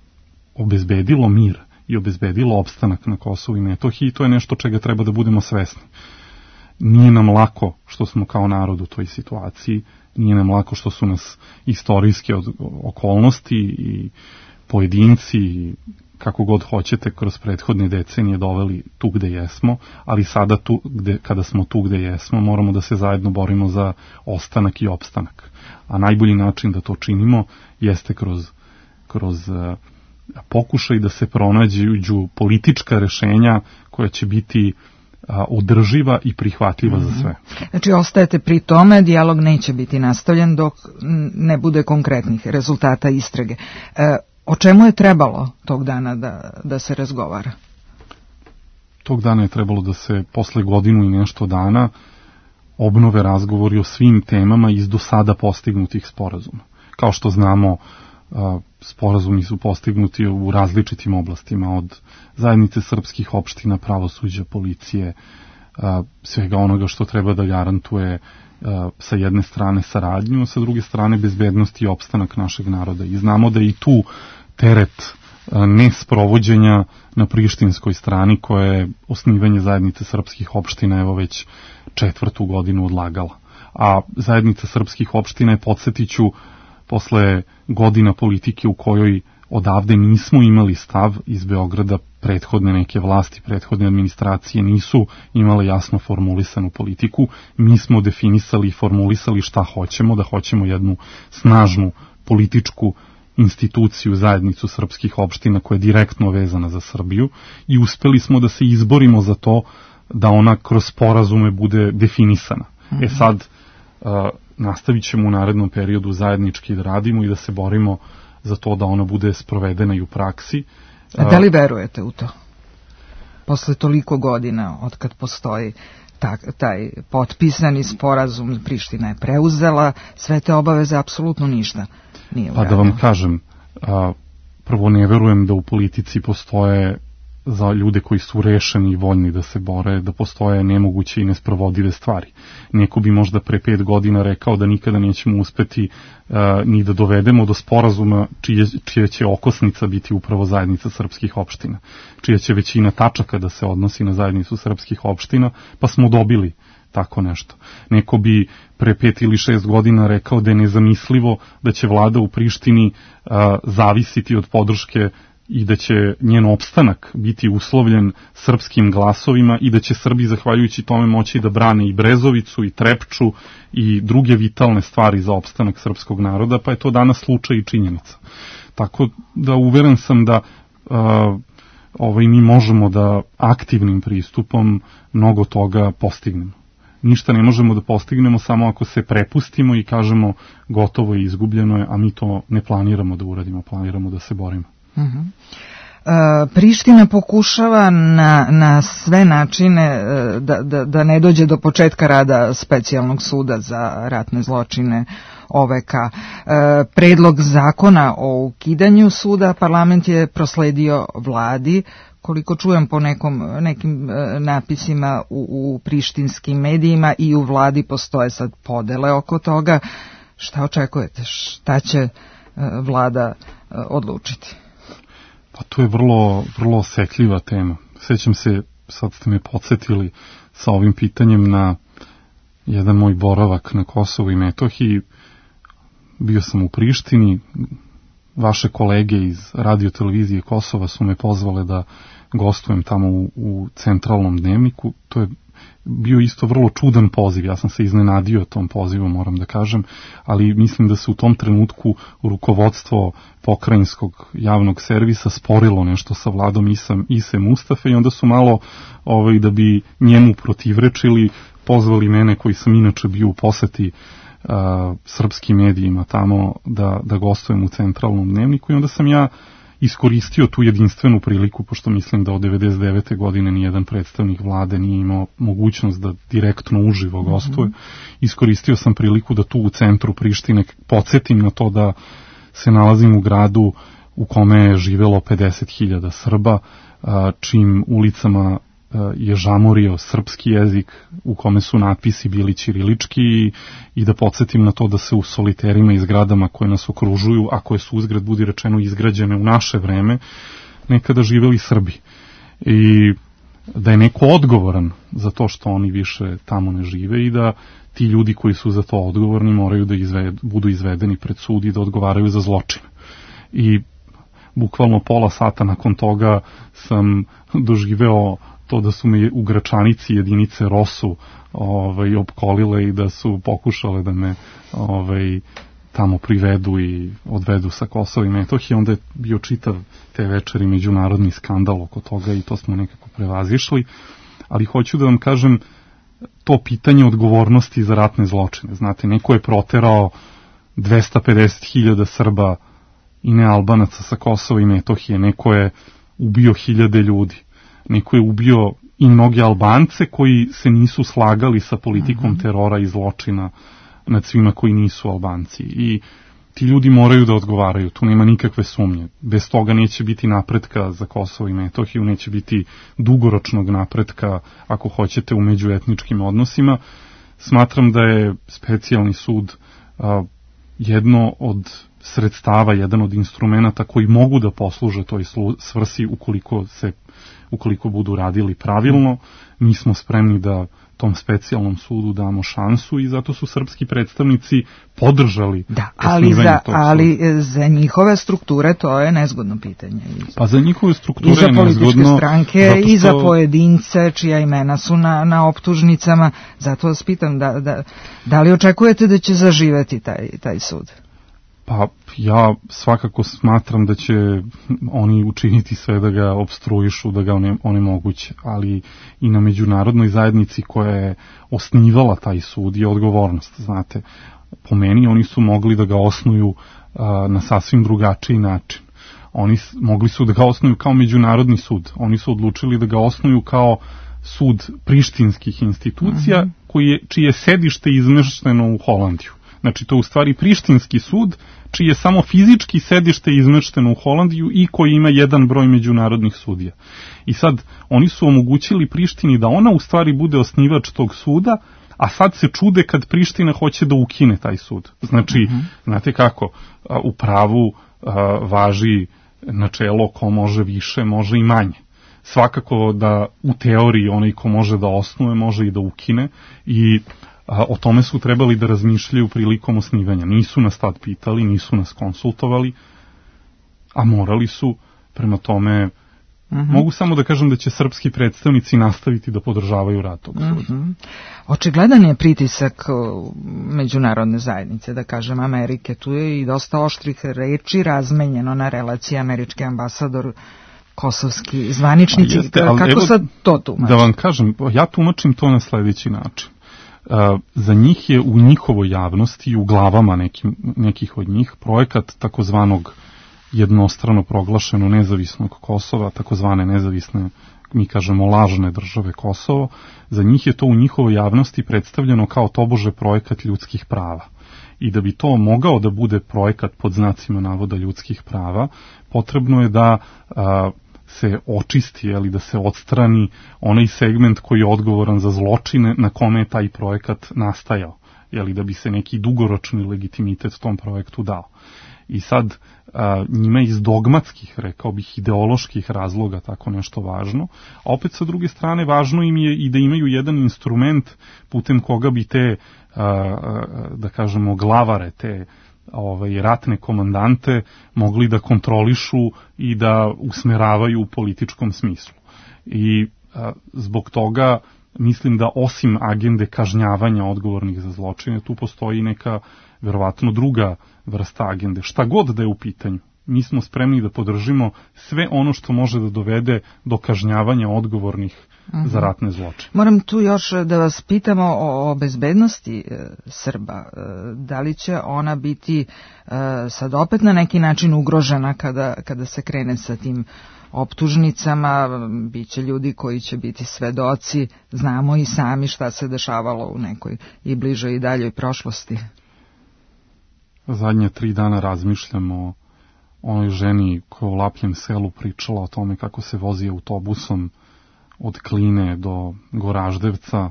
obezbedilo mir i obezbedilo opstanak na Kosovu i Metohiji. To je nešto čega treba da budemo svesni. Nije nam lako što smo kao narod u toj situaciji, nije nam lako što su nas istorijske okolnosti i pojedinci i kako god hoćete, kroz prethodne decenije doveli tu gde jesmo, ali sada kada smo tu gde jesmo, moramo da se zajedno borimo za ostanak i opstanak. A najbolji način da to činimo jeste kroz pokušaj da se pronađu politička rešenja koja će biti održiva i prihvatljiva za sve. Znači, ostajete pri tome, dijalog neće biti nastavljen dok ne bude konkretnih rezultata istrage. O čemu je trebalo tog dana da se razgovara? Tog dana je trebalo da se posle godinu i nešto dana obnove razgovori o svim temama iz do sada postignutih sporazuma. Kao što znamo, sporazumi su postignuti u različitim oblastima, od zajednice srpskih opština, pravosuđa, policije, svega onoga što treba da garantuje sa jedne strane saradnju, sa druge strane bezbednost i opstanak našeg naroda. I znamo da i tu teret nesprovođenja na prištinskoj strani, koja je osnivanje zajednice srpskih opština evo već 4. godinu odlagala. A zajednica srpskih opština je, podsjetiću, posle godina politike u kojoj odavde nismo imali stav iz Beograda, prethodne neke vlasti, prethodne administracije nisu imale jasno formulisanu politiku, mi smo definisali i formulisali šta hoćemo, da hoćemo jednu snažnu političku instituciju, zajednicu srpskih opština koja je direktno vezana za Srbiju, i uspeli smo da se izborimo za to da ona kroz sporazume bude definisana. Sad nastavit ćemo u narednom periodu zajednički da radimo i da se borimo za to da ona bude sprovedena i u praksi. A da li verujete u to? Posle toliko godina od kad postoji taj potpisani sporazum, Priština je preuzela sve te obaveze, apsolutno ništa nije urađeno. Pa da vam kažem, prvo ne verujem da u politici postoje, za ljude koji su rešeni i voljni da se bore, da postoje nemoguće i nesprovodive stvari. Neko bi možda pre 5 godina rekao da nikada nećemo uspeti ni da dovedemo do sporazuma čija će okosnica biti upravo zajednica srpskih opština, čija će većina tačaka da se odnosi na zajednicu srpskih opština, pa smo dobili tako nešto. Neko bi pre 5 ili 6 godina rekao da je nezamislivo da će vlada u Prištini zavisiti od podrške i da će njen opstanak biti uslovljen srpskim glasovima i da će Srbi zahvaljujući tome moći da brane i Brezovicu i Trepču i druge vitalne stvari za opstanak srpskog naroda, pa je to danas slučaj i činjenica. Tako da uveren sam da mi možemo da aktivnim pristupom mnogo toga postignemo. Ništa ne možemo da postignemo samo ako se prepustimo i kažemo gotovo je, izgubljeno je, a mi to ne planiramo da uradimo, planiramo da se borimo. Priština pokušava na sve načine da ne dođe do početka rada specijalnog suda za ratne zločine OVK. Predlog zakona o ukidanju suda parlament je prosledio vladi. Koliko čujem po nekim napisima u prištinskim medijima i u vladi postoje sad podele oko toga. Šta očekujete? Šta će vlada odlučiti? Pa to je vrlo, vrlo osetljiva tema. Sjećam se, sad ste me podsjetili sa ovim pitanjem na jedan moj boravak na Kosovu i Metohiji. Bio sam u Prištini, vaše kolege iz Radio-televizije Kosova su me pozvale da gostujem tamo u centralnom dnevniku. To je bio isto vrlo čudan poziv, ja sam se iznenadio tom pozivu, moram da kažem, ali mislim da se u tom trenutku rukovodstvo pokrajinskog javnog servisa sporilo nešto sa vladom Ise Mustafe i onda su malo da bi njemu protivrečili, pozvali mene koji sam inače bio u poseti srpskim medijima tamo da gostujem u centralnom dnevniku i onda sam ja iskoristio tu jedinstvenu priliku, pošto mislim da od 99. godine nijedan predstavnik vlade nije imao mogućnost da direktno uživo gostuje. Iskoristio sam priliku da tu u centru Prištine podsjetim na to da se nalazim u gradu u kome je živelo 50.000 Srba, čim ulicama je žamorio srpski jezik, u kome su natpisi bili ćirilički i da podsjetim na to da se u soliterima i zgradama koje nas okružuju, a koje su uzgred budi rečeno izgrađene u naše vreme, nekada živeli Srbi. I da je neko odgovoran za to što oni više tamo ne žive i da ti ljudi koji su za to odgovorni moraju da budu izvedeni pred sud i da odgovaraju za zločin. I bukvalno pola sata nakon toga sam doživeo to da su me u Gračanici jedinice ROSU opkolile i da su pokušale da me tamo privedu i odvedu sa Kosova i Metohije. Onda je bio čitav te večeri međunarodni skandal oko toga i to smo nekako prevazišli. Ali hoću da vam kažem to pitanje odgovornosti za ratne zločine. Znate, neko je proterao 250.000 Srba i nealbanaca sa Kosova i Metohije, neko je ubio 1000 ljudi, neko je ubio i mnoge Albance koji se nisu slagali sa politikom terora i zločina nad svima koji nisu Albanci. I ti ljudi moraju da odgovaraju, tu nema nikakve sumnje. Bez toga neće biti napretka za Kosovo i Metohiju, neće biti dugoročnog napretka, ako hoćete, u međuetničkim odnosima. Smatram da je specijalni sud jedno od sredstava, jedan od instrumenta koji mogu da posluže toj svrsi ukoliko budu radili pravilno. Mi smo spremni da tom specijalnom sudu damo šansu i zato su srpski predstavnici podržali osnivanje tog suda. Ali za njihove strukture to je nezgodno pitanje. Pa za njihove strukture je nezgodno. I za političke stranke, i za pojedince čija imena su na optužnicama. Zato vas pitam, da li očekujete da će zaživeti taj sud? Pa ja svakako smatram da će oni učiniti sve da ga opstruišu, da ga onemoguće, ali i na međunarodnoj zajednici koja je osnivala taj sud je odgovornost, znate. Po meni oni su mogli da ga osnuju na sasvim drugačiji način. Oni mogli su da ga osnuju kao međunarodni sud, oni su odlučili da ga osnuju kao sud prištinskih institucija čije sedište izmešteno u Holandiju. Znači, to je u stvari prištinski sud, čije je samo fizički sedište izmešteno u Holandiju i koji ima jedan broj međunarodnih sudija. I sad, oni su omogućili Prištini da ona u stvari bude osnivač tog suda, a sad se čude kad Priština hoće da ukine taj sud. Znači, znate kako, u pravu važi načelo ko može više, može i manje. Svakako da u teoriji onaj ko može da osnuje, može i da ukine i o tome su trebali da razmišljaju prilikom osnivanja. Nisu nas tad pitali, nisu nas konsultovali, a morali su. Prema tome, mogu samo da kažem da će srpski predstavnici nastaviti da podržavaju rad tog suda. Očigledan je pritisak međunarodne zajednice, da kažem Amerike. Tu je i dosta oštrih reči razmenjeno na relaciji američki ambasador, kosovski zvaničnici. Kako sad to tumači? Da vam kažem, ja tumačim to na sledeći način. Za njih je u njihovoj javnosti i u glavama nekih od njih projekat takozvanog jednostrano proglašeno nezavisnog Kosova, takozvane nezavisne, mi kažemo lažne države Kosovo. Za njih je to u njihovoj javnosti predstavljeno kao tobože projekat ljudskih prava. I da bi to mogao da bude projekat pod znacima navoda ljudskih prava, potrebno je da se očisti, da se odstrani onaj segment koji je odgovoran za zločine na kome je taj projekat nastajao, da bi se neki dugoročni legitimitet tom projektu dao. I sad njima iz dogmatskih, rekao bih, ideoloških razloga tako nešto važno, a opet sa druge strane važno im je i da imaju jedan instrument putem koga bi te, da kažemo, glavare, te ratne komandante mogli da kontrolišu i da usmeravaju u političkom smislu. I zbog toga mislim da osim agende kažnjavanja odgovornih za zločine, tu postoji neka verovatno druga vrsta agende. Šta god da je u pitanju, mi smo spremni da podržimo sve ono što može da dovede do kažnjavanja odgovornih za ratne zločine. Moram tu još da vas pitamo o bezbednosti Srba. Da li će ona biti sad opet na neki način ugrožena kada se krene sa tim optužnicama? Biće ljudi koji će biti svedoci, znamo i sami šta se dešavalo u nekoj i bližoj i daljoj prošlosti. Zadnje 3 dana razmišljam o onoj ženi koja u Lapljem selu pričala o tome kako se vozi autobusom od Kline do Goraždevca,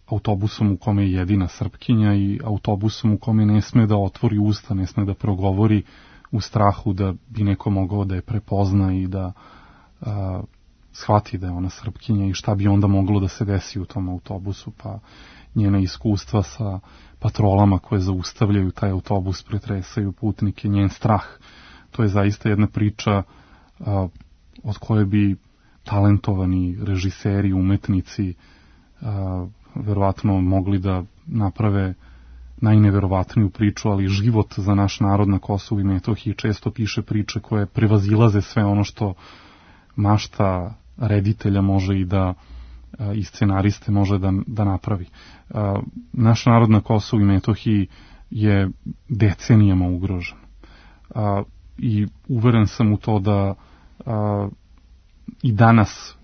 autobusom u kome je jedina Srpkinja i autobusom u kome ne sme da otvori usta, ne sme da progovori u strahu da bi neko mogao da je prepozna i da shvati da je ona Srpkinja i šta bi onda moglo da se desi u tom autobusu. Pa njena iskustva sa patrolama koje zaustavljaju taj autobus, pretresaju putnike, njen strah to je zaista jedna priča od koje bi talentovani režiseri, umetnici verovatno mogli da naprave najneverovatniju priču, ali život za naš narod na Kosovu i Metohiji često piše priče koje prevazilaze sve ono što mašta reditelja može i da i scenariste može da napravi. Naš narod na Kosovu i Metohiji je decenijama ugrožen. I uveren sam u to da i danas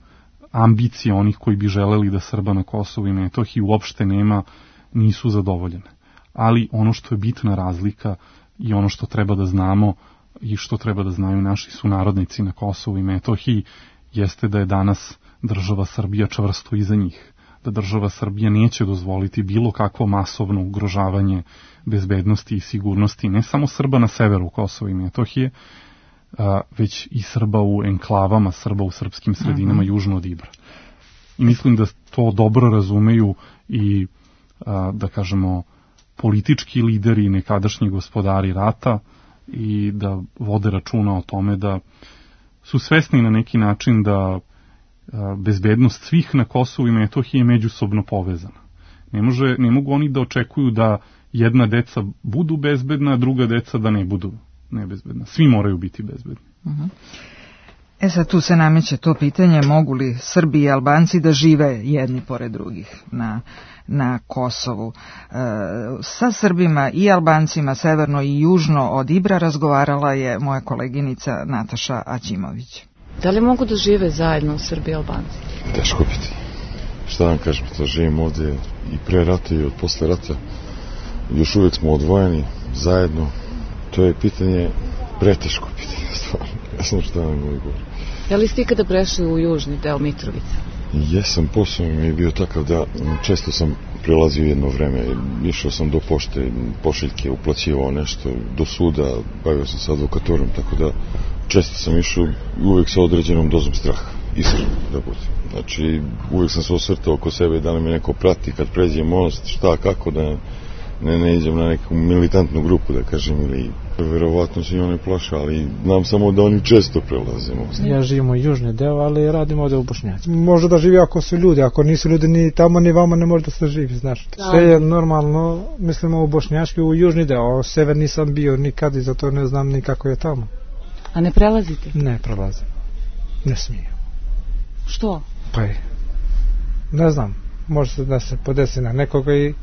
ambicije onih koji bi želeli da Srba na Kosovu i Metohiji uopšte nema, nisu zadovoljene. Ali ono što je bitna razlika i ono što treba da znamo i što treba da znaju naši sunarodnici na Kosovu i Metohiji jeste da je danas država Srbija čvrsto iza njih. Da država Srbija neće dozvoliti bilo kakvo masovno ugrožavanje bezbednosti i sigurnosti ne samo Srba na severu Kosova i Metohije, već i Srba u enklavama, Srba u srpskim sredinama južno od Ibra. I mislim da to dobro razumeju i, da kažemo, politički lideri i nekadašnji gospodari rata i da vode računa o tome da su svesni na neki način da bezbednost svih na Kosovu i Metohiji je međusobno povezana. Ne mogu oni da očekuju da jedna deca budu bezbedna, a druga deca da ne budu nebezbedna. Svi moraju biti bezbedni. Sad tu se nameće to pitanje, mogu li Srbi i Albanci da žive jedni pored drugih na Kosovu. Sa Srbima i Albancima severno i južno od Ibra razgovarala je moja koleginica Nataša Aćimović. Da li mogu da žive zajedno Srbi i Albanci? Teško biti. Šta vam kažem, to živim ovdje i pre rata i od posle rata. Još uvijek smo odvojeni zajedno. To je pitanje, preteško pitanje, stvarno. Ja sam šta vam govorim. Da li ste ikada prešli u južni deo Mitrovice? Jesam, posao mi je bio takav da često sam prelazio jedno vreme. Išao sam do pošte, pošiljke, uplaćivao nešto, do suda, bavio sam se advokatorom, tako da često sam išao uvijek sa određenom dozom straha, iskreno da budem. Znači, uvijek sam se osvrtao oko sebe da li me neko prati kad pređe most, šta, kako, da ne idem na neku militantnu grupu, da kažem, ili verovatno se njima ne plaša, ali znam samo da oni često prelaze most. Ja živim u južni deo, ali radim ovdje u Bošnjaci. Može da živi ako su ljudi, ako nisu ljudi ni tamo ni vama ne može da se živi, znaš. Sve je normalno, mislimo u Bošnjački, u južni deo, sever nisam bio nikad i zato ne znam ni kako je tamo. A ne prelazite? Ne prelazim, ne smijem. Što? Pa je, ne znam, može se da se podesi na nekoga i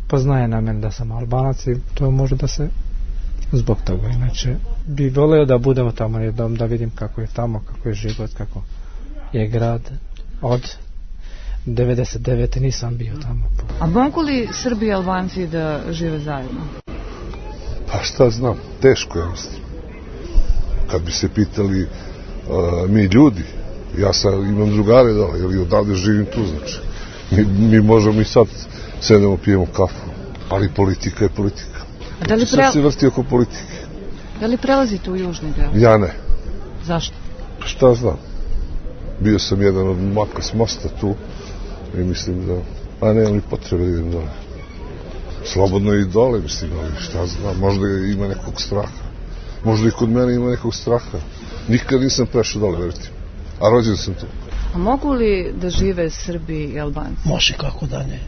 poznaje na mene da sam Albanac i to može da se zbog toga. Inače, bi voleo da budemo tamo jednom, da vidim kako je tamo, kako je život, kako je grad. Od 99. nisam bio tamo. A mogu li Srbi i Albanci da žive zajedno? Pa šta znam, teško je mislim. Kad bi se pitali mi ljudi, ja sad imam drugare dole, jer i odavde živim tu, znači. Mi možemo i sad sedemo, pijemo kafu, ali politika je politika. A da li sad se vrti oko politike. Da li prelazite u južni deo? Ja ne. Zašto? Šta znam. Bio sam jedan od maka s mosta tu i mislim da, a nemam ni potrebe da idem dole. Slobodno i dole, mislim, ali šta znam, možda ima nekog straha. Možda i kod mene ima nekog straha. Nikad nisam prešao dole, verite. A rođen sam tu. A mogu li da žive Srbi i Albanci? Može, kako da ne.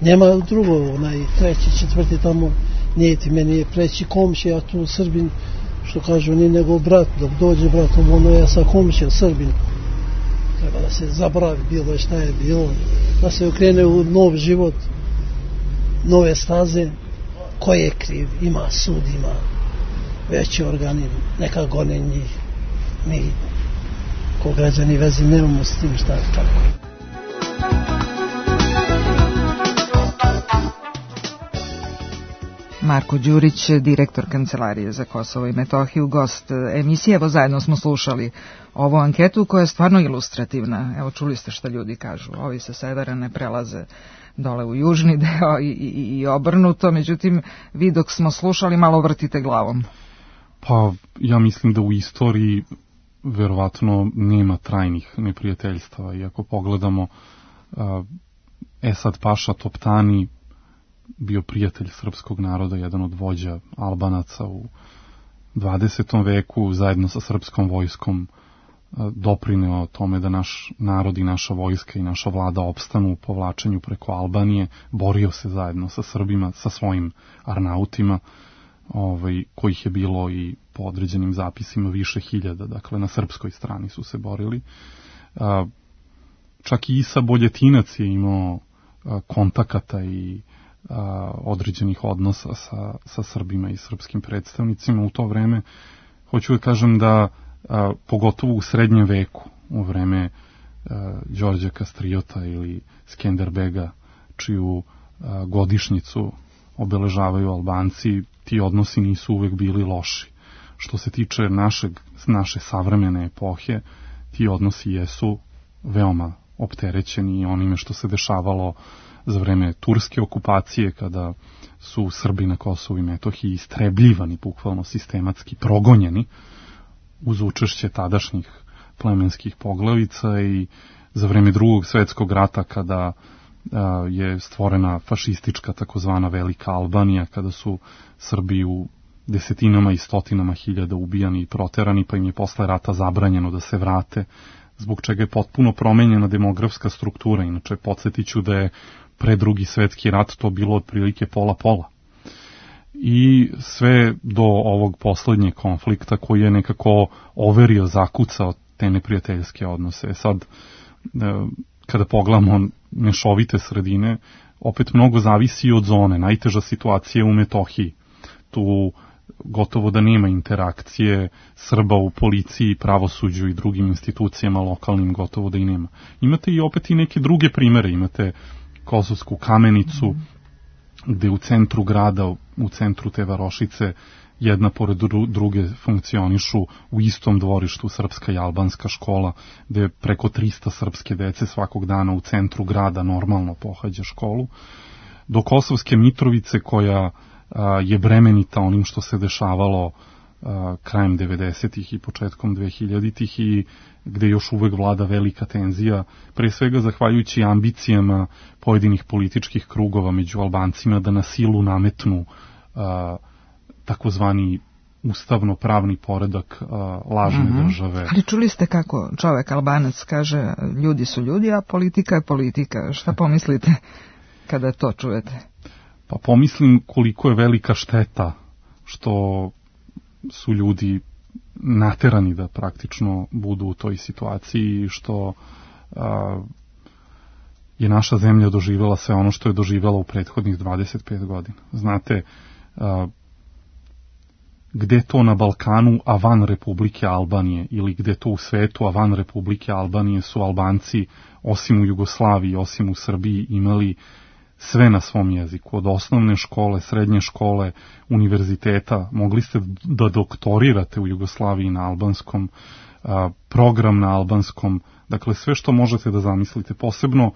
Nema drugo, treći, četvrti tamo, nije ti meni je preći komšija, a tu Srbin, što kažu, ni nego brat, dok dođe bratom, ono ja sa komšijom Srbin. Treba da se zabravi bilo šta je bilo, da se okrene u nov život, nove staze. Ko je kriv? Ima sud, ima veći organi, neka gone njih. Mi, ko građani vezi, nemamo s tim šta je kako. Marko Đurić, direktor Kancelarije za Kosovo i Metohiju, gost emisije. Evo, zajedno smo slušali ovu anketu koja je stvarno ilustrativna. Evo, čuli ste šta ljudi kažu. Ovi sa severa ne prelaze dole u južni deo i obrnuto. Međutim, vi dok smo slušali malo vrtite glavom. Pa, ja mislim da u istoriji verovatno nema trajnih neprijateljstava. I ako pogledamo Esad Paša Toptani, bio prijatelj srpskog naroda, jedan od vođa Albanaca u 20. veku zajedno sa srpskom vojskom doprineo tome da naš narod i naša vojska i naša vlada opstanu u povlačenju preko Albanije, borio se zajedno sa Srbima, sa svojim arnautima, kojih je bilo i po određenim zapisima više hiljada, dakle na srpskoj strani su se borili. Čak i Isa Boljetinac je imao kontakata i određenih odnosa sa Srbima i srpskim predstavnicima u to vreme. Hoću da kažem da pogotovo u srednjem veku, u vreme Đorđa Kastriota ili Skenderbega, čiju godišnjicu obeležavaju Albanci, ti odnosi nisu uvek bili loši. Što se tiče naše savremene epohe, ti odnosi jesu veoma opterećeni onime što se dešavalo za vreme turske okupacije, kada su Srbi na Kosovu i Metohiji istrebljivani, bukvalno sistematski progonjeni, uz učešće tadašnjih plemenskih poglavica, i za vreme Drugog svetskog rata, kada je stvorena fašistička takozvana Velika Albanija, kada su Srbi u desetinama i stotinama hiljada ubijani i proterani, pa im je posle rata zabranjeno da se vrate, zbog čega je potpuno promenjena demografska struktura. Inače, podsjetiću da je pre Drugi svetski rat to bilo otprilike pola-pola. I sve do ovog poslednjeg konflikta koji je nekako overio, zakucao te neprijateljske odnose. Sad, kada pogledamo mešovite sredine, opet mnogo zavisi od zone. Najteža situacija je u Metohiji. Tu gotovo da nema interakcije Srba u policiji, pravosuđu i drugim institucijama lokalnim, gotovo da i nema. Imate i opet i neke druge primere. Imate Kosovsku Kamenicu, gde u centru grada, u centru te varošice, jedna pored druge funkcionišu u istom dvorištu srpska i albanska škola, gde preko 300 srpske dece svakog dana u centru grada normalno pohađa školu, do Kosovske Mitrovice, koja je bremenita onim što se dešavalo krajem 90-ih i početkom 2000-ih i gde još uvek vlada velika tenzija, pre svega zahvaljujući ambicijama pojedinih političkih krugova među Albancima da na silu nametnu takozvani ustavno-pravni poredak lažne države. Ali čuli ste kako čovek Albanac kaže ljudi su ljudi, a politika je politika. Šta pomislite kada to čujete? Pa pomislim koliko je velika šteta što su ljudi naterani da praktično budu u toj situaciji, što je naša zemlja doživjela sve ono što je doživjela u prethodnih 25 godina. Znate, gde to na Balkanu, a van Republike Albanije, ili gde to u svetu, a van Republike Albanije su Albanci, osim u Jugoslaviji, osim u Srbiji, imali sve na svom jeziku, od osnovne škole, srednje škole, univerziteta, mogli ste da doktorirate u Jugoslaviji na albanskom, program na albanskom, dakle sve što možete da zamislite, posebno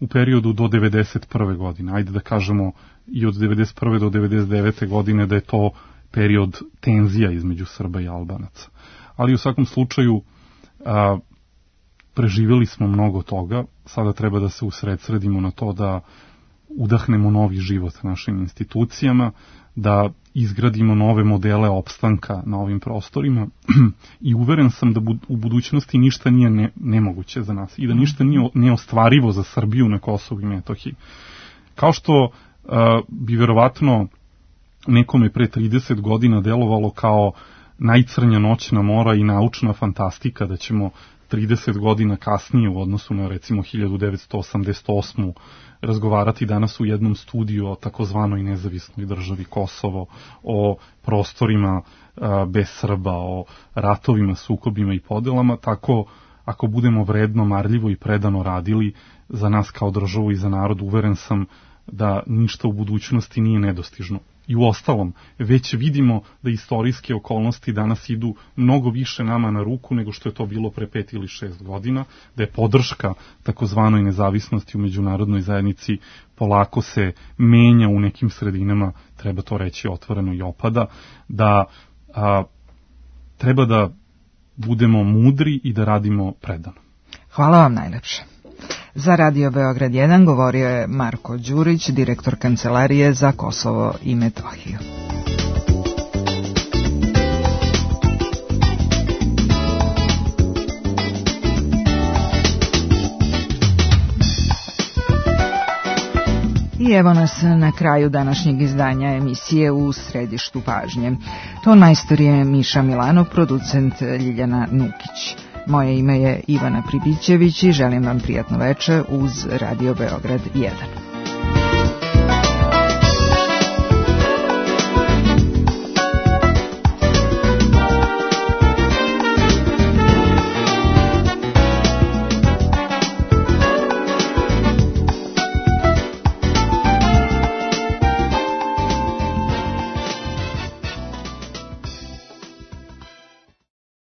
u periodu do 91. godine, ajde da kažemo i od 91. do 99. godine da je to period tenzija između Srba i Albanaca. Ali u svakom slučaju preživjeli smo mnogo toga, sada treba da se usredsredimo na to da udahnemo novi život našim institucijama, da izgradimo nove modele opstanka na ovim prostorima i uveren sam da u budućnosti ništa nije nemoguće za nas i da ništa nije neostvarivo za Srbiju na Kosovu i Metohiji. Kao što bi verovatno nekome pre 30 godina delovalo kao najcrnja noćna mora i naučna fantastika da ćemo 30 godina kasnije u odnosu na recimo 1988. razgovarati danas u jednom studiju o takozvanoj nezavisnoj državi Kosovo, o prostorima bez Srba, o ratovima, sukobima i podelama, tako ako budemo vredno, marljivo i predano radili za nas kao državu i za narod, uveren sam da ništa u budućnosti nije nedostižno. I u ostalom, već vidimo da istorijske okolnosti danas idu mnogo više nama na ruku nego što je to bilo pre 5 ili 6 godina, da je podrška takozvanoj nezavisnosti u međunarodnoj zajednici polako se menja u nekim sredinama, treba to reći otvoreno i opada, da treba da budemo mudri i da radimo predano. Hvala vam najlepše. Za Radio Beograd 1 govorio je Marko Đurić, direktor Kancelarije za Kosovo i Metohiju. I evo nas na kraju današnjeg izdanja emisije U središtu pažnje. Ton majstor je Miša Milanov, producent Ljiljana Nukić. Moje ime je Ivana Pribićević i želim vam prijatno večer uz Radio Beograd 1.